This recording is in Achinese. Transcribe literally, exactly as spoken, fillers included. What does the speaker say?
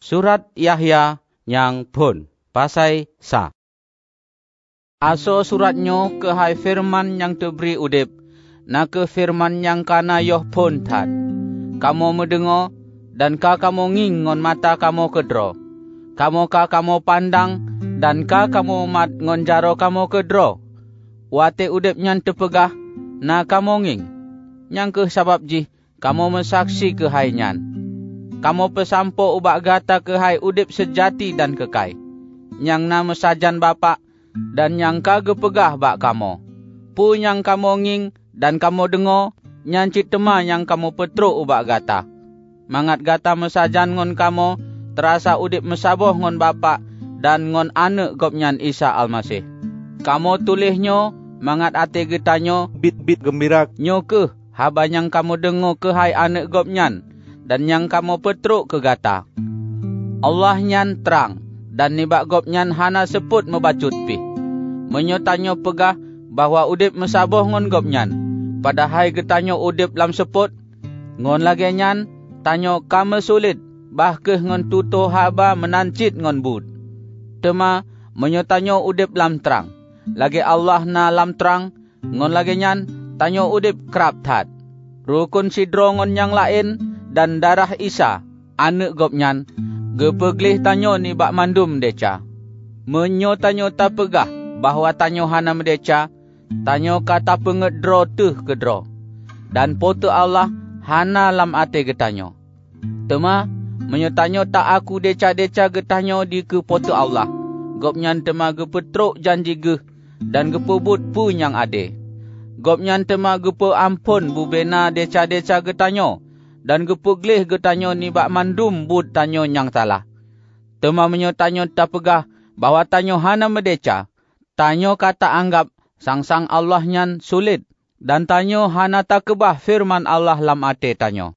Surat Yahya nyang phon, pasai sa. Asoe surat nyoe keuhai feureuman nyang teubri udeb, na kheueh feureuman nyang ka na yoh phon that. Kamoe meudeungoe, dan ka kamoe ngieng ngon mata kamoe keudroe. Kamoe ka kamoe pandang, dan ka kamoe mat ngon jaroe kamoe keudroe. Watée udeb nyan teupeugah, na kamoe ngieng. Nyang kheueh sabab jih kamoe meusaksi keuhai nyan. Kamoe peusampoe ubak gata keuhai udeb seujati dan keukai, nyang na meusajan Bapak dan nyang ka geupeugah bak kamoe. Peue nyang kamoe ngieng dan kamoe deungoe, nyan cit teuma nyang kamoe peutrok ubak gata, mangat gata meusajan ngon kamoe teurasa udeb meusaboh ngon Bapak dan ngon Aneuëk Gobnyan Isa Almaseh. Kamoe tuléh nyoe mangat até geutanyoe biet-biet geumbira. Nyoe kheueh haba nyang kamoe deungoe keuhai Aneuëk Gobnyan dan nyang kamoe peutrok keu gata. Allah nyan trang, dan nibak Gobnyan hana seupôt meubacut pih. Meunyoe tanyoe peugah bahwa udeb meusaboh ngon Gobnyan, padahai geutanyoe udeb lam seupôt, ngon lagée nyan tanyoe ka meusulet, bah kheueh ngon tutoe haba meunan cit ngon buet. Teuma meunyoe tanyoe udeb lam trang, lagée Allah na lam trang, ngon lagée nyan tanyoe udeb krab that. Rukon sidroe ngon nyang laén dan darah Isa, Aneuëk Gobnyan, geupeugleh tanyoe nibak mandum desya. Meunyoe tanyoe tapeugah bahwa tanyoe hana meudesya, tanyoe ka tapeungét droe teuh keudroe, dan Po teu Allah hana lam até geutanyoe. Teuma meunyoe tanyoe ta-aku desya-desya geutanyoe dikeue Po teu Allah, Gobnyan teuma geupeutrok janji geuh dan geupeubuet peue nyang ade. Gobnyan teuma geupeu amphon bubena desya-desya geutanyoe dan geupeugleh geutanyoe nibak mandum buet tanyoe nyang salah. Teuma meunyoe tanyoe tapeugah bahwa tanyoe hana meudesya, tanyoe ka ta-anggab sang-sang Allah nyan sulet, dan tanyoe hana takeubah feureuman Allah lam até tanyoe.